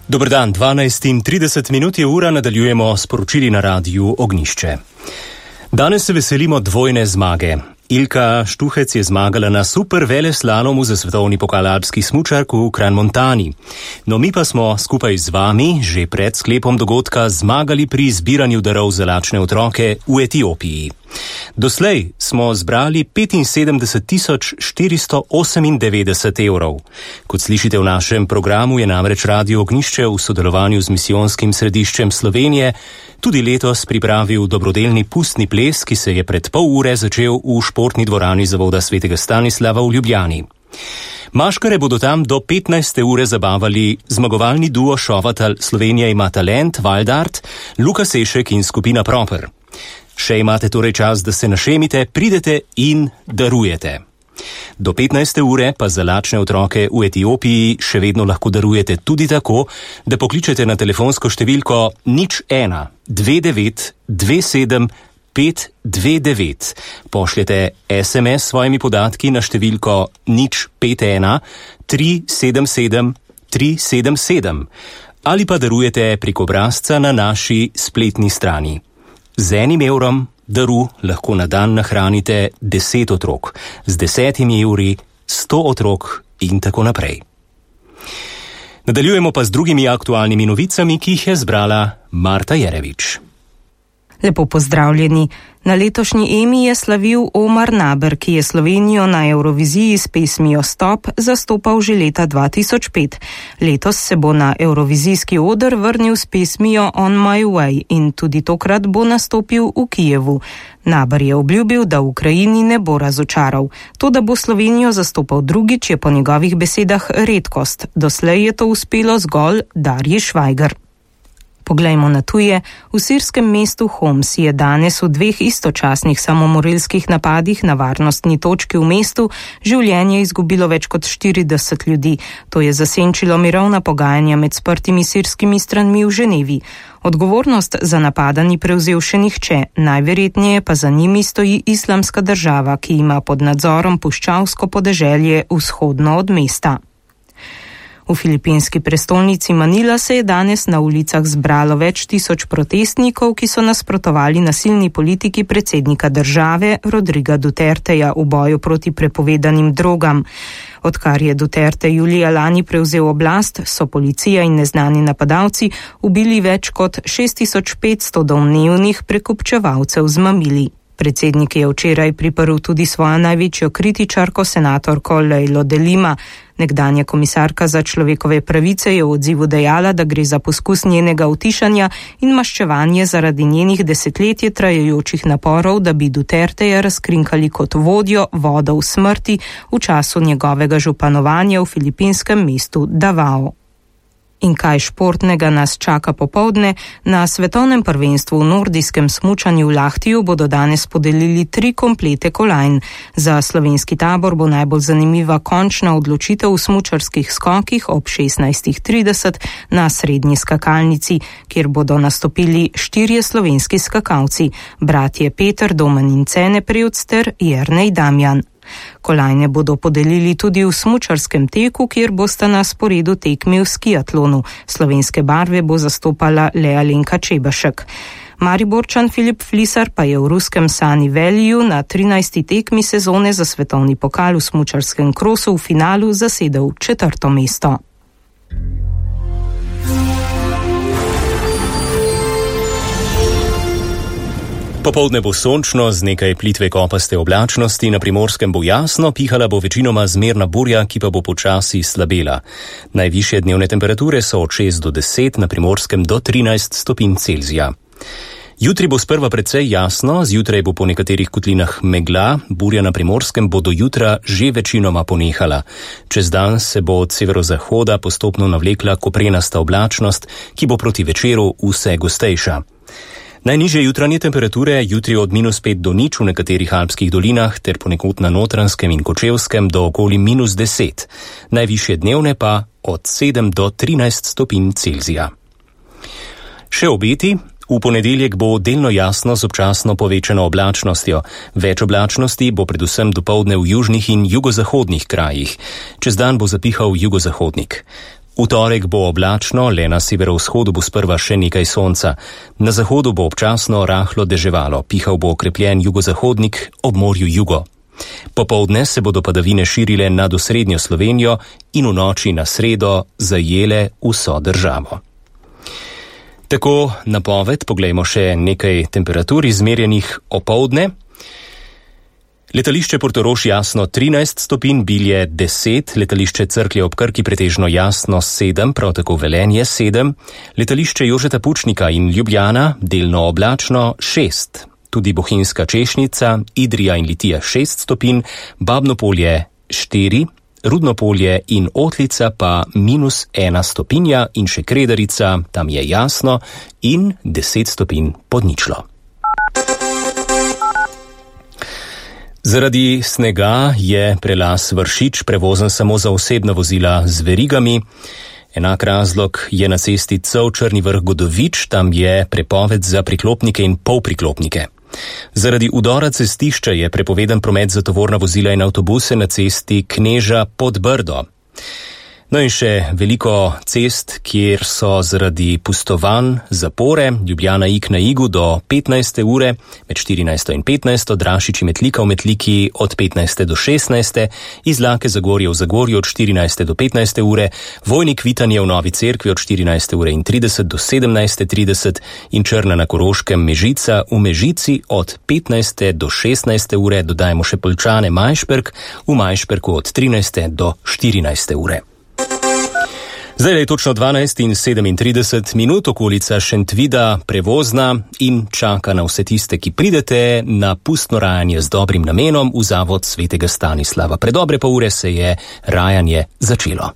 Dober dan, 12:30 je ura, nadaljujemo s poročili na Radiu Ognjišče. Danes se veselimo dvojne zmage. Ilka Štuhec je zmagala na super veleslalomu za svetovni pokal alpskih smučark v Crans-Montani. No, mi pa smo skupaj z vami že pred sklepom dogodka zmagali pri zbiranju darov za lačne otroke v Etiopiji. Doslej smo zbrali 75.498 evrov. Kot slišite v našem programu, je namreč Radio Ognjišče v sodelovanju z Misijonskim središčem Slovenije tudi letos pripravil dobrodelni pustni ples, ki se je pred pol ure začel v športni dvorani Zavoda svetega Stanislava v Ljubljani. Maškare bodo tam do 15. ure zabavali zmagovalni duo šovatal Slovenija ima talent, Valdart, Luka Sešek in skupina Proper. Še imate torej čas, da se našemite, pridete in darujete. Do 15. ure pa za lačne otroke v Etiopiji še vedno lahko darujete tudi tako, da pokličete na telefonsko številko 01 29 27 529. Pošljete SMS s svojimi podatki na številko 051 377 377 ali pa darujete prek obrazca na naši spletni strani. Z 1 evrom daru lahko na dan nahranite 10 otrok, z 10 evri 100 otrok in tako naprej. Nadaljujemo pa z drugimi aktualnimi novicami, ki jih je zbrala Marta Jerevič. Lepo pozdravljeni. Na letošnji Emi je slavil Omar Naber, ki je Slovenijo na Evroviziji s pesmijo Stop zastopal že leta 2005. Letos se bo na evrovizijski oder vrnil s pesmijo On My Way in tudi tokrat bo nastopil v Kijevu. Naber je obljubil, da v Ukrajini ne bo razočaral. To, da bo Slovenijo zastopal drugič, je po njegovih besedah redkost. Doslej je to uspelo zgolj Darji Švajger. Poglejmo na tuje. V sirskem mestu Homs je danes v 2 istočasnih samomorilskih napadih na varnostni točki v mestu življenje izgubilo več kot 40 ljudi. To je zasenčilo mirovna pogajanja med sprtimi sirskimi stranmi v Ženevi. Odgovornost za napada ni prevzel še nihče, najverjetneje pa za njimi stoji Islamska država, ki ima pod nadzorom puščavsko podeželje vzhodno od mesta. V filipinski prestolnici Manila se je danes na ulicah zbralo več tisoč protestnikov, ki so nasprotovali nasilni politiki predsednika države Rodriga Duterteja v boju proti prepovedanim drogam. Odkar je Duterte julija lani prevzel oblast, so policija in neznani napadalci ubili več kot 6500 domnevnih prekupčevalcev z mamili. Predsednik je včeraj priprl tudi svojo največjo kritičarko, senatorko Leilo de Lima. Nekdanja komisarka za človekove pravice je v odzivu dejala, da gre za poskus njenega utišanja in maščevanje zaradi njenih desetletje trajajočih naporov, da bi Duterteja razkrinkali kot vodjo vodov smrti v času njegovega županovanja v filipinskem mestu Davao. In kaj športnega nas čaka popoldne? Na svetovnem prvenstvu v nordijskem smučanju v Lahtiju bodo danes podelili 3 komplete kolajn. Za slovenski tabor bo najbolj zanimiva končna odločitev v smučarskih skokih ob 16:30 na srednji skakalnici, kjer bodo nastopili 4 slovenski skakalci, bratje Peter, Domen in Cene Prevc ter Jernej Damjan. Kolajne bodo podelili tudi v smučarskem teku, kjer bosta na sporedu tekmi v skiatlonu. Slovenske barve bo zastopala le Alenka Čebašek. Mariborčan Filip Flisar pa je v ruskem Sunny Valleyju na 13. tekmi sezone za svetovni pokal v smučarskem krosu v finalu zasedel 4. mesto. Popoldne bo sončno z nekaj plitve kopaste oblačnosti, na Primorskem bo jasno, pihala bo večinoma zmerna burja, ki pa bo počasi slabela. Najvišje dnevne temperature so od 6 do 10, na Primorskem do 13 stopinj Celzija. Jutri bo sprva precej jasno, zjutraj bo po nekaterih kotlinah megla, burja na Primorskem bo do jutra že večinoma ponehala. Čez dan se bo od severozahoda postopno navlekla koprenasta oblačnost, ki bo proti večeru vse gostejša. Najnižje jutranje temperature jutri od -5 do 0 v nekaterih alpskih dolinah ter ponekod na Notranjskem in Kočevskem do okoli -10. Najvišje dnevne pa od 7 do 13 stopinj Celzija. Še obeti. V ponedeljek bo delno jasno z občasno povečano oblačnostjo. Več oblačnosti bo predvsem dopoldne v južnih in jugozahodnih krajih. Čez dan bo zapihal jugozahodnik. V torek bo oblačno, le na severovzhodu bo sprva še nekaj sonca. Na zahodu bo občasno rahlo deževalo, pihal bo okrepljen jugozahodnik, ob morju jugo. Popoldne se bodo padavine širile nad osrednjo Slovenijo in v noči na sredo zajele vso državo. Tako napoved, poglejmo še nekaj temperatur izmerjenih opoldne. Letališče Portorož jasno 13 stopinj, Bilje 10, letališče Cerklje ob Krki pretežno jasno 7, prav tako Velenje 7, letališče Jožeta Pučnika in Ljubljana delno oblačno 6, tudi Bohinjska Češnica, Idrija in Litija 6 stopinj, Babno Polje 4, Rudno Polje in Otlica pa -1 stopinja in še Kredarica, tam je jasno, in 10 stopinj pod ničlo. Zaradi snega je prelaz Vršič prevozen samo za osebna vozila z verigami. Enak razlog je na cesti Cov-Črni Vrh-Godovič, tam je prepoved za priklopnike in polpriklopnike. Zaradi udora cestišča je prepovedan promet za tovorna vozila in avtobuse na cesti Kneža pod Brdo. No in še veliko cest, kjer so zaradi pustovanj zapore, Ljubljana-Ig na Igu do 15. ure, med 14. in 15. Drašiči-Metlika v Metliki od 15. do 16. Izlake Zagorje v Zagorju od 14. do 15. ure, Vojnik-Vitanje v Novi Cerkvi od 14. ure in 30 do 17.30 in Črna na Koroškem Mežica v Mežici od 15. do 16. ure, dodajmo še Poljčane-Majšperk v Majšperku od 13. do 14. ure. Zdaj je točno 12:37, okolica Šentvida prevozna in čaka na vse tiste, ki pridete na pustno rajanje z dobrim namenom v zavod Svetega Stanislava. Pred dobre pol ure se je rajanje začelo.